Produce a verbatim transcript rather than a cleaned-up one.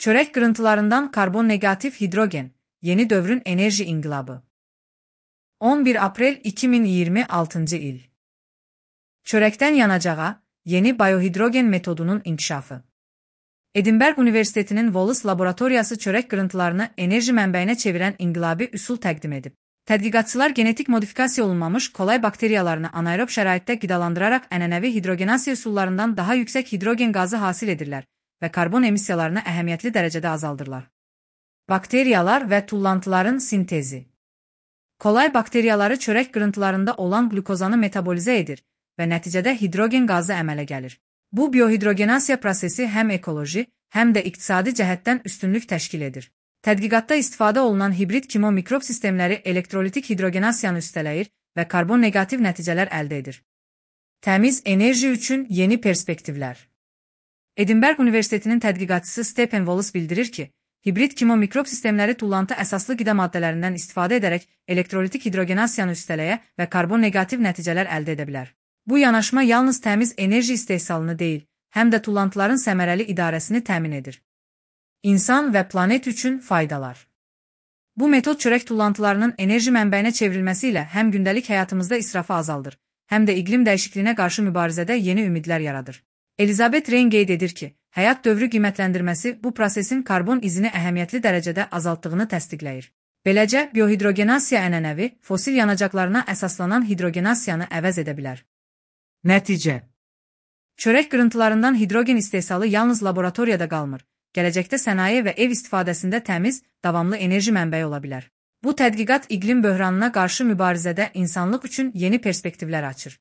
Çörek kırıntılarından karbon negatif hidrogen, yeni dövrün enerji inqilabı. on bir Aprel iki min iyirmi altıncı il. Çörekten yanacağa, yeni biohidrogen metodunun inkişafı. Edinburgh Üniversiteti'nin Wallace laboratoriyası çörek kırıntılarını enerji mənbəyinə çevirən inqilabi üsul təqdim edib. Tədqiqatçılar genetik modifikasiya olunmamış kolay bakteriyalarını anaerob şəraitdə qidalandıraraq ənənəvi hidrogenasiya üsullarından daha yüksək hidrogen qazı hasil edirlər və karbon emissiyalarını əhəmiyyətli dərəcədə azaldırlar. Bakteriyalar və tullantıların sintezi. Kolay bakteriyaları çörək qırıntılarında olan glukozanı metabolizə edir və nəticədə hidrogen qazı əmələ gəlir. Bu biohidrogenasiya prosesi həm ekoloji, həm də iqtisadi cəhətdən üstünlük təşkil edir. Tədqiqatda istifadə olunan hibrid kimo mikrob sistemləri elektrolitik hidrogenasiyanı üstələyir və karbon negativ nəticələr əldə edir. Təmiz enerji üçün yeni perspektivlər. Edinburgh Üniversitetinin tədqiqatçısı Stephen Wallace bildirir ki, hibrid kimo mikrob sistemləri tullantı əsaslı qida maddələrindən istifadə edərək elektrolitik hidrogenasiyanı üstələyə və karbon negativ nəticələr əldə edə bilər. Bu yanaşma yalnız təmiz enerji istehsalını deyil, həm də tullantıların səmərəli idarəsini təmin edir. İnsan və planet üçün faydalar. Bu metod çörək tullantılarının enerji mənbəyinə çevrilməsi ilə həm gündəlik həyatımızda israfı azaldır, həm də iqlim dəyişikliyinə qarşı mübarizədə yeni ümidlər yaradır. Elizabeth Rein qeyd edir ki, həyat dövrü qiymətləndirməsi bu prosesin karbon izini əhəmiyyətli dərəcədə azaltdığını təsdiqləyir. Beləcə, biohidrogenasiya ənənəvi, fosil yanacaqlarına əsaslanan hidrogenasiyanı əvəz edə bilər. Nəticə. Çörək qırıntılarından hidrogen istehsalı yalnız laboratoriyada qalmır, gələcəkdə sənaye və ev istifadəsində təmiz, davamlı enerji mənbəyi ola bilər. Bu tədqiqat iqlim böhranına qarşı mübarizədə insanlıq üçün yeni perspektivlər açır.